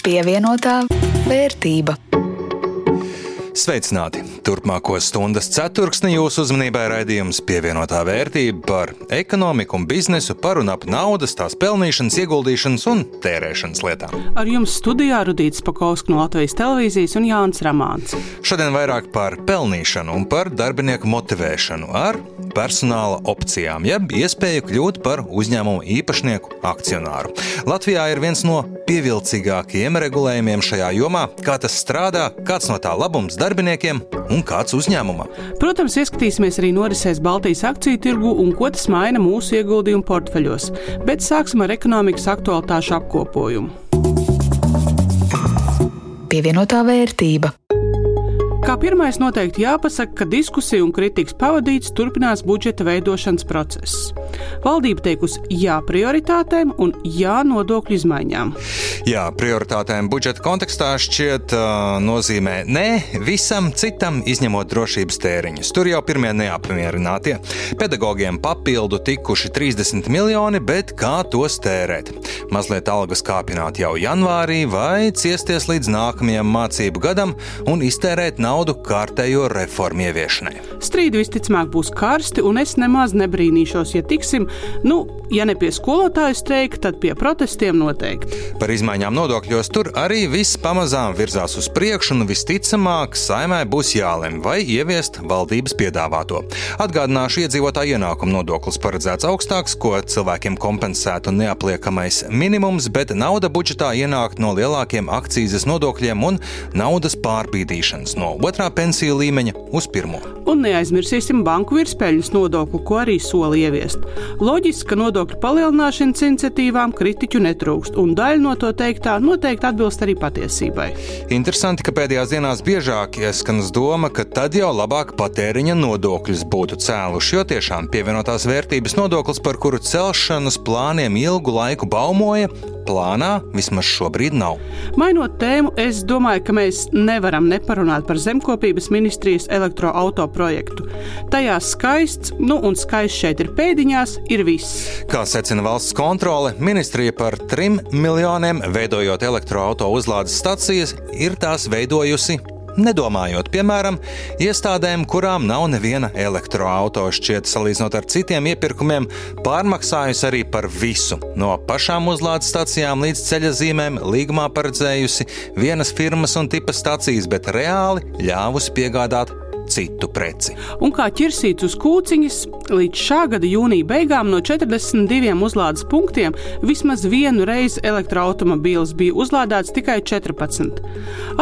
Pievienotā vērtība. Sveicināti! Turpmāko stundas ceturksni jūsu uzmanībai raidījums Pievienotā vērtība par ekonomiku un biznesu, par un ap naudas, tās pelnīšanas, ieguldīšanas un tērēšanas lietām. Ar jums studijā Rudīts Pakovska no Latvijas televīzijas un Jānis Ramāns. Šodien vairāk par pelnīšanu un par darbinieku motivēšanu ar personāla opcijām, jeb iespēju kļūt par uzņēmumu īpašnieku akcionāru. Latvijā ir viens no pievilcīgākajiem regulējumiem šajā jomā, kā tas strādā, kāds no tā labums darbiniekiem un kāds uzņēmumam. Protams, ieskatīsimies arī norisēs Baltijas akciju tirgu un ko tas maina mūsu ieguldījumu portfeļos, bet sāksim ar ekonomikas aktualitāšu apkopojumu. Pievienotā vērtība. Kā pirmais noteikti jāpasaka, ka diskusija un kritikas pavadīts turpinās budžeta veidošanas process. Valdība teikusi jā prioritātēm un jā nodokļu izmaiņām. Jā, prioritātēm budžeta kontekstā šķiet nozīmē nē visam citam, izņemot drošības tēriņus. Tur jau pirmie neapmierinātie. Pedagogiem papildu tikuši 30 miljoni, bet kā tos tērēt? Mazliet algas kāpināt jau janvārī vai ciesties līdz nākamajam mācību gadam un iztērēt naudu kārtējo reformu ieviešanai. Strīdi visticamāk būs karsti, un es nemaz nebrīnīšos, ja tiksim, ja ne pie skolotāju streika, tad pie protestiem noteikti. Par izmaiņām nodokļos tur arī viss pamazām virzās uz priekšu, un visticamāk Saeimai būs jālem vai ieviest valdības piedāvāto. Atgādināšu, iedzīvotāju ienākumu nodoklis paredzēts augstāks, ko cilvēkiem kompensētu neapliekamais minimums, bet nauda budžetā ienāk no lielākiem akcīzes nodokļiem un naudas pārbīdīšanas no otrā pensiju līmeņa uz pirmo. Un neaizmirsīsim banku virspēļņas nodokli, ko arī soli ieviest. Loģiski, ka nodokļu palielināšanas iniciatīvām kritiķu netrūkst, un daļa no to teiktā noteikti atbilst arī patiesībai. Interesanti, ka pēdējās dienās biežāk ieskanas doma, ka tad jau labāk patēriņa nodokļus būtu cēluši, jo tiešām pievienotās vērtības nodoklis, par kuru celšanas plāniem ilgu laiku baumoja, plānā vismaz šobrīd nav. Mainot tēmu, es domāju, ka mēs nevaram neparunāt par zemkopības ministrijas elektroauto projektu. Tajā skaists, un skaists šeit ir pēdiņās, ir viss. Kā secina valsts kontrole, ministrija par 3 miljoniem veidojot elektroauto uzlādes stacijas ir tās veidojusi nedomājot, piemēram, iestādēm, kurām nav neviena elektroauto, šķiet salīdzinot ar citiem iepirkumiem, pārmaksājusi arī par visu. No pašām uzlādes stacijām līdz ceļazīmēm līgumā paredzējusi vienas firmas un tipa stacijas, bet reāli ļāvusi piegādāt citu preci. Un kā ķirsīts uz kūciņas, līdz šā gada jūnija beigām no 42 uzlādes punktiem vismaz vienu reizi elektroautomobīls bija uzlādēts tikai 14.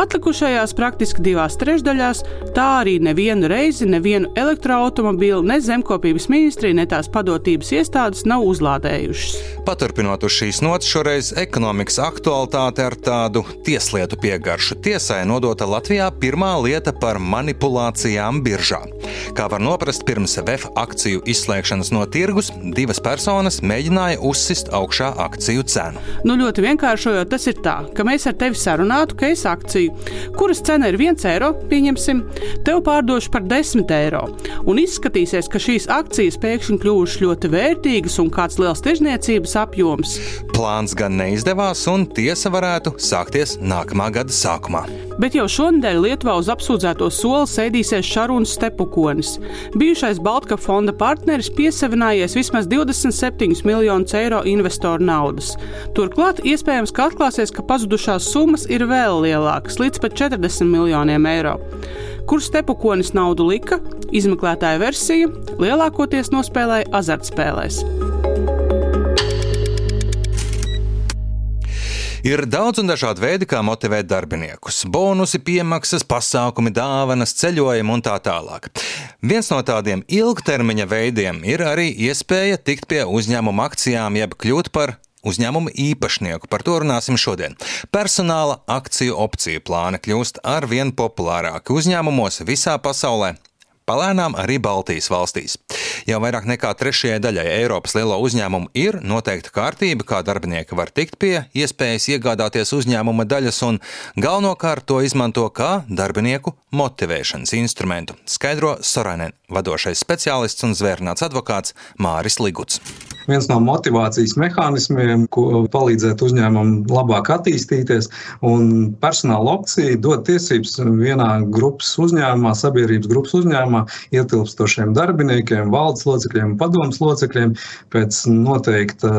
Atlikušajās praktiski 2/3 tā arī nevienu reizi nevienu elektroautomobīlu ne zemkopības ministrija, ne tās padotības iestādes nav uzlādējušas. Paturpinot uz šīs nots, šoreiz ekonomikas aktualitāte ar tādu tieslietu piegaršu. Tiesai nodota Latvijā pirmā lieta par manipulācijām biržā. Kā var noprast, pirms VF akciju izslēgšanas no tirgus, 2 personas mēģināja uzsist augšā akciju cenu. Ļoti vienkāršojot, tas ir tā, ka mēs ar tevi sarunātu, ka es akciju, kuras cena ir 1 eiro, pieņemsim, tev pārdošu par 10 eiro. Un izskatīsies, ka šīs akcijas pēkšņi kļuvušas ļoti vērtīgas un kāds liels tirzniecības apjoms. Plāns gan neizdevās, un tiesa varētu sākties nākamā gada sākumā. Bet jau šonedēļ Lietuvā uz apsūdzēto soli sēdīsies Šarūns Stepukonis. Bijušais Baltkap fonda partneris piesavinājies vismaz 27 miljonus eiro investoru naudas. Turklāt iespējams, ka atklāsies, ka pazudušās summas ir vēl lielākas, līdz pat 40 miljoniem eiro. Kur Stepukonis naudu lika? Izmeklētāja versija lielākoties nospēlēja azartspēlēs. Ir daudz un dažādi veidi, kā motivēt darbiniekus. Bonusi, piemaksas, pasākumi, dāvanas, ceļojumi un tā tālāk. Viens no tādiem ilgtermiņa veidiem ir arī iespēja tikt pie uzņēmuma akcijām, jeb kļūt par uzņēmuma īpašnieku. Par to runāsim šodien. Personāla akciju opciju plāni kļūst arvien populārāki uzņēmumos visā pasaulē. Palēnām arī Baltijas valstīs. Jau vairāk nekā 3/3 daļai Eiropas lielo uzņēmumu ir noteikta kārtība, kā darbinieki var tikt pie iespējas iegādāties uzņēmuma daļas, un galvenokārt to izmanto kā darbinieku motivēšanas instrumentu, skaidro Sorainen vadošais speciālists un zvērnāts advokāts Māris Liguts. viens no motivācijas mehānismiem, ko palīdzēt uzņēmumam labāk attīstīties, un personāla opcija dod tiesības vienā grupas uzņēmumā, sabiedrības grupas uzņēmumā ietilpstošiem darbiniekiem, valdes locekļiem un padomes locekļiem pēc noteikta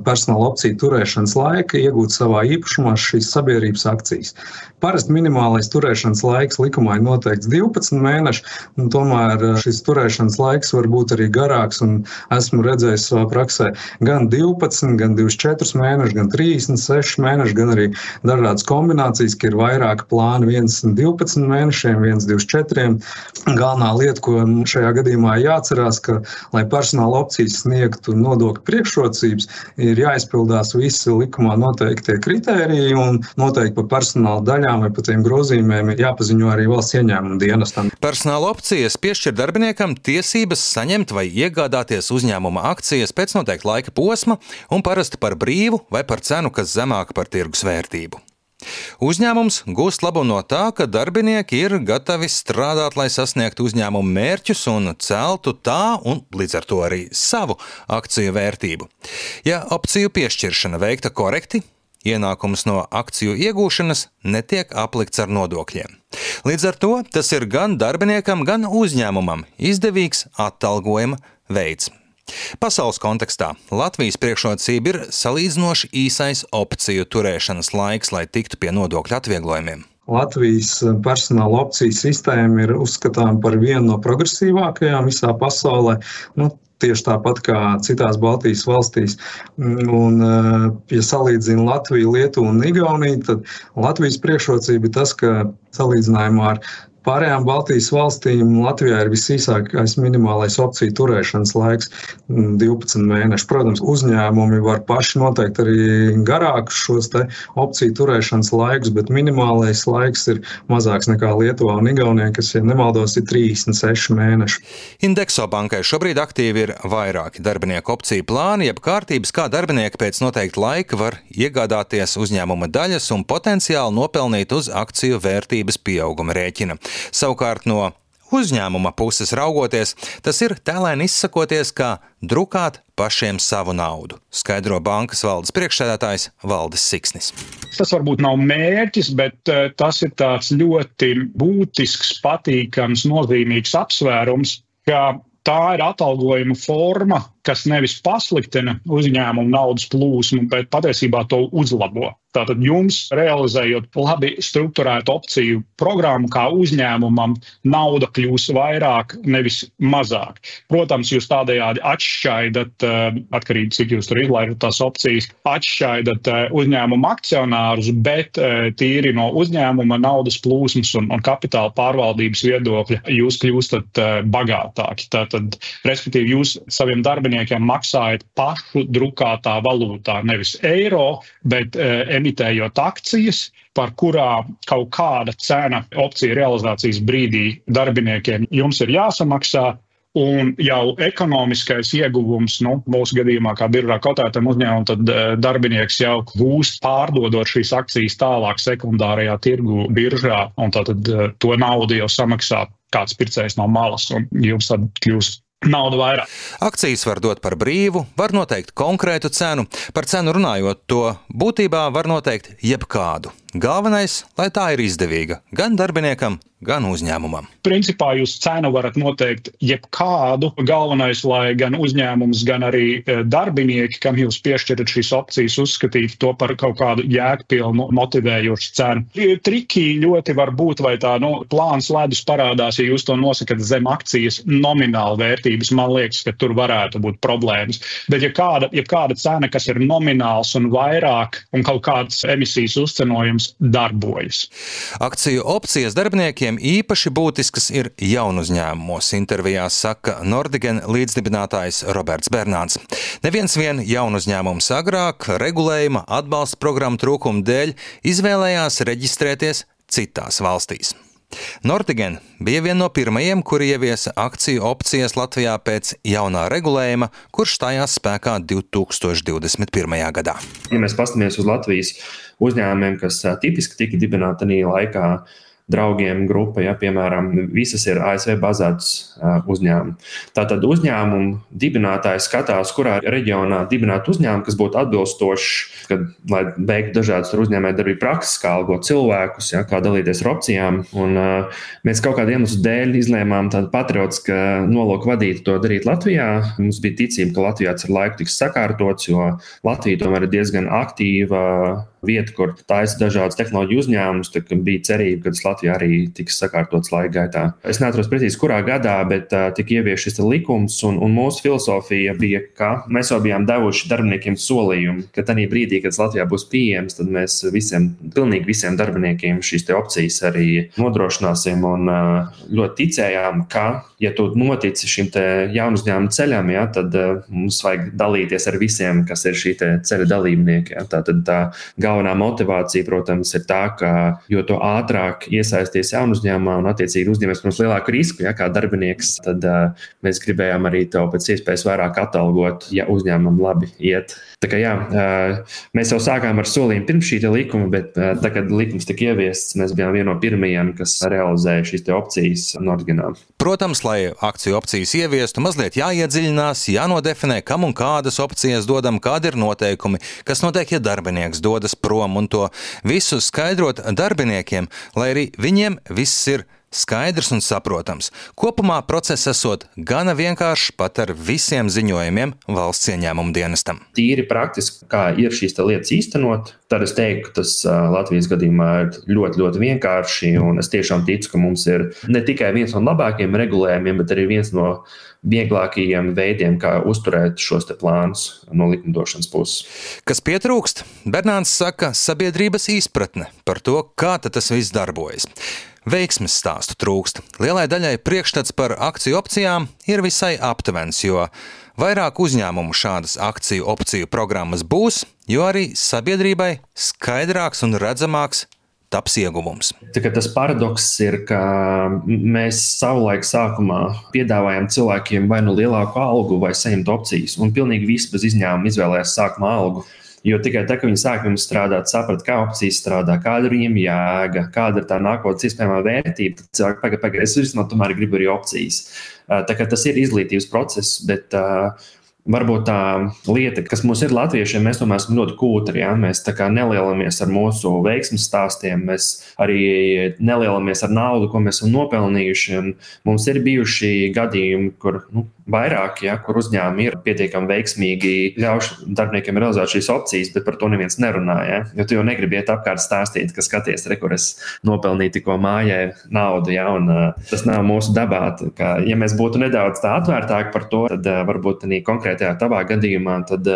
personāla opciju turēšanas laika iegūt savā īpašumā šīs sabiedrības akcijas. Parasti minimālais turēšanas laiks likumā ir noteikts 12 mēneši, un tomēr šis turēšanas laiks var būt arī garāks, un esmu redzējis savā praksē gan 12, gan 24 mēneši, gan 36 mēneši, gan arī dažādas kombinācijas, ka ir vairāki plāni, viens 12 mēnešiem, viens 24. Galvenā lieta, ko šajā gadījumā jāatcerās, ka, lai personāla opcijas sniegtu nodokļu priekšrocības, ir jāizpildās visi likumā noteiktie kritēriji, un noteikti pa personāla daļām vai pa tiem grozījumiem ir jāpaziņo arī valsts ieņēmuma dienestam. Personāla opcijas piešķir darbiniekam tiesības saņemt vai iegādāties uzņēmuma akcijas pēc noteikta laika posma un parasti par brīvu vai par cenu, kas zemāka par tirgus vērtību. Uzņēmums gūst labumu no tā, ka darbinieki ir gatavi strādāt, lai sasniegtu uzņēmuma mērķus un celtu tā un līdz ar to arī savu akciju vērtību. Ja opciju piešķiršana veikta korekti, ienākums no akciju iegūšanas netiek aplikts ar nodokļiem. Līdz ar to tas ir gan darbiniekam, gan uzņēmumam izdevīgs atalgojuma veids. Pasaules kontekstā Latvijas priekšrocība ir salīdzinoši īsais opciju turēšanas laiks, lai tiktu pie nodokļu atvieglojumiem. Latvijas personāla opciju sistēma ir uzskatām par vienu no progresīvākajām visā pasaulē. Tieši tāpat kā citās Baltijas valstīs. Un, ja salīdzina Latviju, Lietuvu un Igauniju, tad Latvijas priekšrocība ir tas, ka salīdzinājumā ar pārējām Baltijas valstīm Latvijā ir visīsākais minimālais opciju turēšanas laiks 12 mēneši. Protams, uzņēmumi var paši noteikt arī garākus šos te opciju turēšanas laikus, bet minimālais laiks ir mazāks nekā Lietuvā un Igaunijā, kas, ja nemaldos, ir 36 mēneši. Indexo bankai šobrīd aktīvi ir vairāki darbinieku opciju plāni, jeb kārtības, kā darbinieki pēc noteikta laika var iegādāties uzņēmuma daļas un potenciāli nopelnīt uz akciju vērtības pieauguma rēķina. Savukārt no uzņēmuma puses raugoties, tas ir tēlēni izsakoties, kā drukāt pašiem savu naudu, skaidro bankas valdes priekšsēdētājs Valdis Siksnis. Tas varbūt nav mērķis, bet tas ir tāds ļoti būtisks, patīkams, nozīmīgs apsvērums, ka tā ir atalgojuma forma, kas nevis pasliktina uzņēmumu naudas plūsmu, bet patiesībā to uzlabo. Tātad jums, realizējot labi strukturētu opciju programmu, kā uzņēmumam, nauda kļūs vairāk, nevis mazāk. Protams, jūs tādējādi atšķaidat, atkarīgi cik jūs tur izlaidat tās opcijas, atšķaidat uzņēmuma akcionārus, bet tīri no uzņēmuma naudas plūsmas un kapitāla pārvaldības viedokļa jūs kļūstat bagātāki. Tātad, respektīvi, jūs saviem darbiniekiem maksājat pašu drukātā valūtā, nevis eiro, bet emitējot akcijas, par kurā kaut kāda cena opcija realizācijas brīdī darbiniekiem jums ir jāsamaksā, un jau ekonomiskais ieguvums, mūsu gadījumā, kā biržā kotētam uzņēmumam, tad darbinieks jau gūst pārdodot šīs akcijas tālāk sekundārajā tirgu biržā, un tātad to naudu jau samaksā kāds pircējs no malas, un jums tad kļūst nauda vairāk. Akcijas var dot par brīvu, var noteikt konkrētu cenu. Par cenu runājot, to būtībā var noteikt jebkādu. Galvenais, lai tā ir izdevīga gan darbiniekam, gan uzņēmumam. Principā jūs cenu varat noteikt jebkādu. Galvenais, lai gan uzņēmums, gan arī darbinieki, kam jūs piešķirat šīs opcijas, uzskatītu to par kaut kādu jēgpilnu, motivējošu cenu. Triki ļoti var būt, vai tā plāns ledus parādās, ja jūs to nosakat zem akcijas nomināla vērtības. Man liekas, ka tur varētu būt problēmas. Bet ja kāda cena, kas ir nomināls un vairāk, un kaut kāds emisijas uzcenojums darbojas. Akciju opcijas darbiniekiem īpaši būtiskas ir jaunu uzņēmumos. Intervijās saka Nordigen līdzdibinātājs Roberts Bernāns. Neviens vien jaunu uzņēmums agrāk regulējuma atbalsta programmu trūkumu dēļ izvēlējās reģistrēties citās valstīs. Nordigen bija viena no pirmajiem, kuri ieviesa akciju opcijas Latvijā pēc jaunā regulējuma, kurš stājās spēkā 2021. gadā. Ja mēs paskatāmies uz Latvijas uzņēmumiem, kas tipiski tika dibināti tajā laikā, draugiem grupa, ja, piemēram, visas ir ASV bazētas uzņēmumi. Tātad uzņēmumu dibinātājs skatās, kurā reģionā dibināt uzņēmumu, kas būtu atbilstošs, lai beigtu dažādas uzņēmējdarbību prakses, kā algot cilvēkus, ja, kā dalīties ar opcijām. Un mēs kaut kādu iemeslu dēļ izlēmām tādu patriotisku nolūku vadīt to darīt Latvijā. Mums bija ticība, ka Latvijā ar laiku tiks sakārtots, jo Latvija tomēr ir diezgan aktīva vieta, kur taisa dažādas tehnoloģiju uzņēmumus, tad bija cerība, ka tas Latvijā arī tiks sakārtots laika gaitā. Es neatceros precīzi, kurā gadā, bet tika ievieš šis likums, un mūsu filozofija bija, ka mēs jau bijām devuši darbiniekiem solījumu, ka tajā brīdī, kad Latvijā būs pieejams, tad mēs pilnīgi visiem darbiniekiem šīs te opcijas arī nodrošināsim, un ļoti ticējām, ka, ja tu notici šim te jaunu uzņēmumu ceļam, ja, tad mums vajag dalīties ar visiem, kas ir šī te ceļa dalībnieki. Ja. Tātad tā galvenā motivācija, protams, ir tā, ka jo to ātrāk iesaisties jaunu uzņēmumā un attiecīgi uzņemies mums lielāku risku, ja, kā darbinieks, tad mēs gribējām arī tev pēc iespējas vairāk atalgot, ja uzņēmumam labi iet. Tā kā jā, mēs jau sākām ar solījumu pirms šī likuma, bet tā, kad likums tika ieviests, mēs bijām viena no pirmajiem, kas realizēja šīs te opcijas Nordginā. Protams, lai akciju opcijas ieviestu, mazliet jāiedziļinās, jānodefinē, kam un kādas opcijas dodam, kādi ir noteikumi, kas notiek, ja darbinieks dodas prom, un to visu skaidrot darbiniekiem, lai arī viņiem viss ir skaidrs un saprotams. Kopumā process esot gana vienkāršs pat ar visiem ziņojumiem valsts ieņēmumu dienestam. Tīri praktiski, kā ir šīs lietas īstenot, tad es teiktu, ka tas Latvijas gadījumā ir ļoti, ļoti vienkārši, un es tiešām ticu, ka mums ir ne tikai viens no labākajiem regulējumiem, bet arī viens no vieglākajiem veidiem, kā uzturēt šos te plānus no likumdošanas puses. Kas pietrūkst? Bernāns saka, sabiedrības izpratne par to, kā tas viss darbojas. Veiksmes stāstu trūkst. Lielai daļai priekšstats par akciju opcijām ir visai aptuvens, jo vairāk uzņēmumu šādas akciju opciju programmas būs, jo arī sabiedrībai skaidrāks un redzamāks taps ieguvums. Tas paradoks ir, ka mēs savulaik sākumā piedāvājam cilvēkiem vai nu lielāku algu vai saņemt opcijas, un pilnīgi visi bez izņēmuma izvēlējās sākumā algu. Jo tikai tā, ka viņi sāk jums strādāt, saprat, kā opcijas strādā, kāda ir viņiem jēga, kāda ir tā nākotnes iespējamā vērtība, tad cilvēki pagaid, es vismaz tomēr gribu arī opcijas. Tā kā tas ir izglītības process, bet varbūt tā lieta, kas mums ir latviešiem, mēs tomēr esam ļoti kūtri, ja? Mēs tā kā nelielamies ar mūsu veiksmes stāstiem, mēs arī nelielamies ar naudu, ko mēs esam nopelnījuši, un mums ir bijuši gadījumi, kur, vairāk, ja, kur uzņēmumi ir pietiekami veiksmīgi ļauši darbiniekiem realizēt šīs opcijas, bet par to neviens nerunā, ja? Jo tu jau negribi iet apkārt stāstīt, ka skaties, kur es nopelnīju tikko mājai naudu, ja? Un tas nav mūsu dabā. Ka, ja mēs būtu nedaudz tā atvērtāki par to, tad varbūt arī konkrētajā tavā gadījumā, tad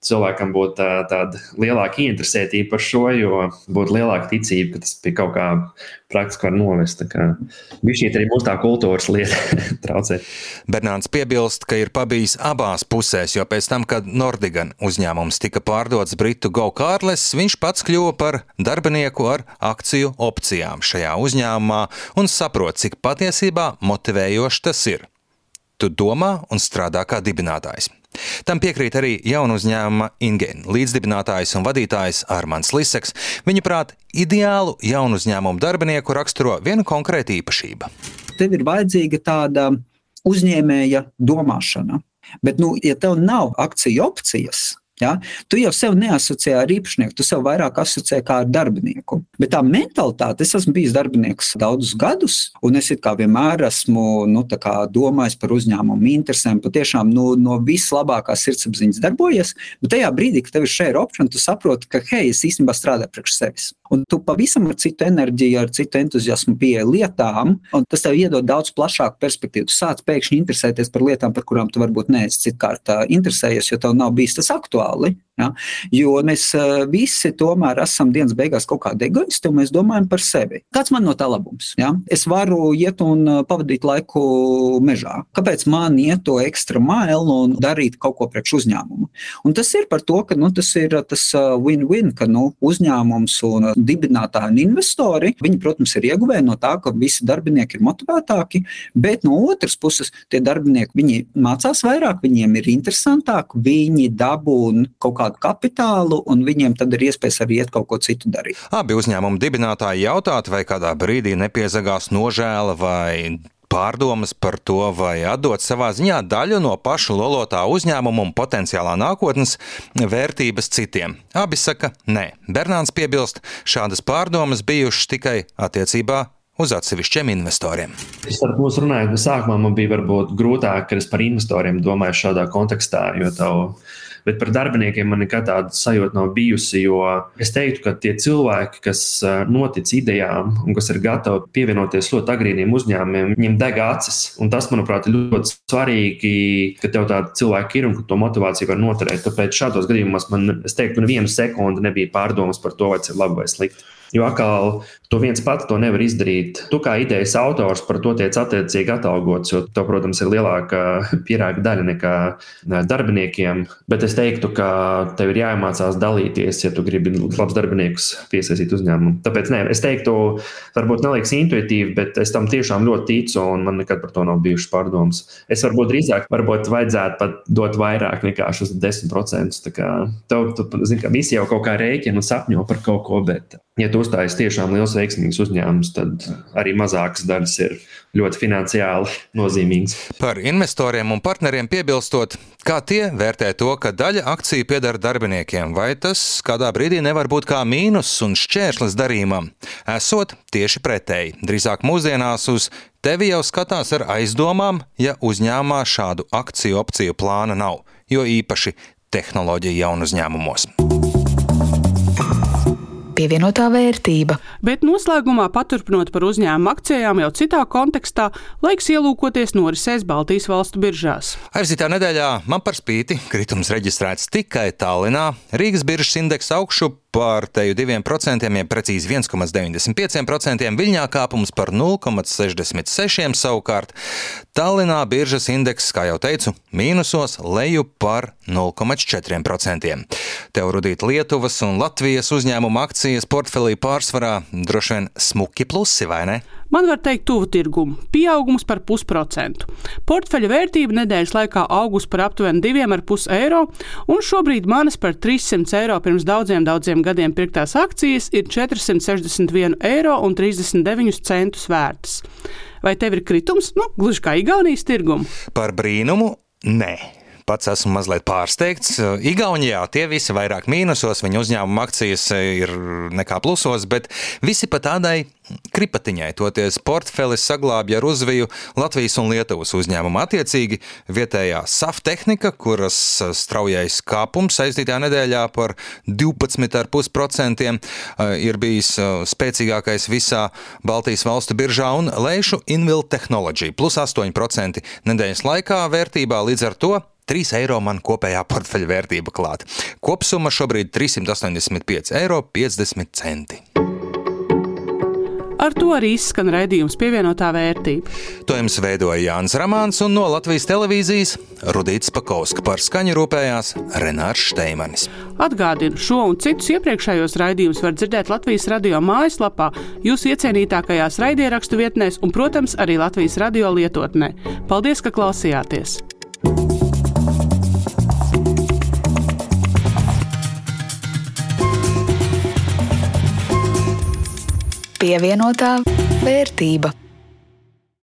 cilvēkam būtu tāda lielāka interesētība par šo, jo būtu lielāka ticība, ka tas pie kaut kā praktiski var novest. Bišķiet arī mūsu tā kultūras lieta traucē. Bernāns piebilst, ka ir pabijis abās pusēs, jo pēc tam, kad Nordgan uzņēmums tika pārdots britu Go Carless, viņš pats kļuva par darbinieku ar akciju opcijām šajā uzņēmumā un saprot, cik patiesībā motivējoši tas ir. Tu domā un strādā kā dibinātājs. Tam piekrīt arī jaunu uzņēmuma Ingen līdzdibinātājs un vadītājs Armands Liseks. Viņuprāt, ideālu jaunu uzņēmumu darbinieku raksturo viena konkrēta īpašība. Tev ir vajadzīga tāda uzņēmēja domāšana, bet, ja tev nav akciju opcijas, ja, tu jau sev neasociē ar īpašnieku, tu sev vairāk asociē kā ar darbinieku. Bet tā mentalitāte, es esmu bijis darbinieks daudzus gadus, un es it kā vienmēr esmu domājis par uzņēmumu interesēm, patiešām no vislabākās sirdsapziņas darbojies, bet tajā brīdī, kad tev ir share option, tu saproti, ka es īstenībā strādāju priekš sevis. Un tu pavisam ar citu enerģiju, ar citu entuziasmu pieeja lietām, un tas tev iedod daudz plašāku perspektīvu. Tu sāc pēkšņi interesēties par lietām, par kurām tu varbūt neesi citkārt interesējies, jo tev nav bijis tas aktuāli. Ja? Jo mēs visi tomēr esam dienas beigās kaut kādi egoisti, un mēs domājam par sevi. Kāds man no tā labums? Ja? Es varu iet un pavadīt laiku mežā. Kāpēc man iet to ekstra mailu un darīt kaut ko priekš uzņēmumu? Un tas ir par to, ka tas ir tas win-win, ka uzņēmums un dibinātāji un investori, viņi, protams, ir ieguvēji no tā, ka visi darbinieki ir motivētāki, bet no otras puses tie darbinieki, viņi mācās vairāk, viņiem ir interesantāk, viņi dabū kaut kādu mazāku kapitālu, un viņiem tad ir iespējas arī iet kaut ko citu darīt. Abi uzņēmumu dibinātāji jautāt, vai kādā brīdī nepiezagās nožēla vai pārdomas par to, vai atdot savā ziņā daļu no pašu lolotā uzņēmuma un potenciālā nākotnes vērtības citiem. Abi saka, nē. Bernāns piebilst, šādas pārdomas bijušas tikai attiecībā uz atsevišķiem investoriem. Starp mūs runājot, sākumā man bija varbūt grūtāk, ka es par investoriem domāju šādā kontekstā, bet par darbiniekiem man nekad tāda sajūta nav bijusi, jo es teiktu, ka tie cilvēki, kas notic idejām un kas ir gatavi pievienoties ļoti agrīniem uzņēmumiem, viņiem deg acis. Un tas, manuprāt, ir ļoti svarīgi, ka tev tādi cilvēki ir un ka to motivāciju var noturēt. Tāpēc šādos gadījumos es teiktu, ka nevienu sekundi nebija pārdomas par to, vai tas ir labi vai slikti. Jo atkal, tu viens pats to nevar izdarīt. Tu kā idejas autors par to tiec attiecīgi atalgots, jo tev, protams, ir lielāka pierāga daļa nekā darbiniekiem. Bet es teiktu, ka tev ir jāiemācās dalīties, ja tu gribi labs darbiniekus piesaistīt uzņēmumu. Tāpēc, es teiktu, varbūt neliekas intuitīvi, bet es tam tiešām ļoti ticu un man nekad par to nav bijušas pārdomas. Es varbūt drīzāk vajadzētu pat dot vairāk nekā šos 10%. Tā kā visi jau kaut kā rēķina un sapņo par kaut ko, bet ja tu uzstājies tiešām liels veiksmīgs uzņēmums, tad arī mazākas daļas ir ļoti finansiāli nozīmīgas. Par investoriem un partneriem piebilstot, kā tie vērtē to, ka daļa akciju pieder darbiniekiem, vai tas kādā brīdī nevar būt kā mīnus un šķērslis darījumam? Esot tieši pretēji. Drīzāk mūsdienās uz tevi jau skatās ar aizdomām, ja uzņēmumā šādu akciju opciju plāna nav, jo īpaši tehnoloģiju jaunu uzņēmumos. Pievienotā vērtība. Bet noslēgumā, paturpinot par uzņēmumu akcijām jau citā kontekstā, laiks ielūkoties norisēs Baltijas valstu biržās. Aizvītā nedēļā man par spīti kritums reģistrēts tikai Tallinā. Rīgas biržas indeksa augšu par teju 2%, ja precīzi 1,95%, Viļņā kāpums par 0,66%, savukārt Tallinā biržas indeks, kā jau teicu, mīnusos, leju par 0,4%. Tev rudīt Lietuvas un Latvijas uzņēmuma akcijas portfelī pārsvarā droši vien smuki plusi, vai ne? Man var teikt tuvu tirgumu, pieaugums par 0,5%. Portfeļa vērtība nedēļas laikā augus par aptuveni 2,5 eiro, un šobrīd manas par 300 eiro pirms daudziem gadiem pirktās akcijas ir 461,39 eiro vērtas. Vai tev ir kritums? Gluži kā Igaunijas tirgumu. Par brīnumu? Nē. Pats esmu mazliet pārsteigts. Igaunijā tie visi vairāk mīnusos, viņu uzņēmuma akcijas ir nekā plusos, bet visi pa tādai kripatiņai, toties portfelis saglābja ar uzviju Latvijas un Lietuvas uzņēmumu. Attiecīgi vietējā SAF tehnika, kuras straujais kāpums aizdītā nedēļā par 12,5% ir bijis spēcīgākais visā Baltijas valstu biržā, un Leišu Invill Technology plus 8% nedēļas laikā vērtībā, līdz ar to 3 eiro man kopējā portfeļa vērtība klāt. Kopsumma šobrīd 385,50 eiro. Ar to arī izskan raidījums Pievienotā vērtība. To jums veidoja Jānis Ramāns un no Latvijas televīzijas Rudīts Pakauska, par skaņu rūpējās Renārs Šteimanis. Atgādinu, šo un citus iepriekšējos raidījumus var dzirdēt Latvijas radio mājaslapā, jūsu iecienītākajās raidierakstu vietnēs un, protams, arī Latvijas radio lietotnē. Paldies, ka klausījāties! Pievienotā vērtība.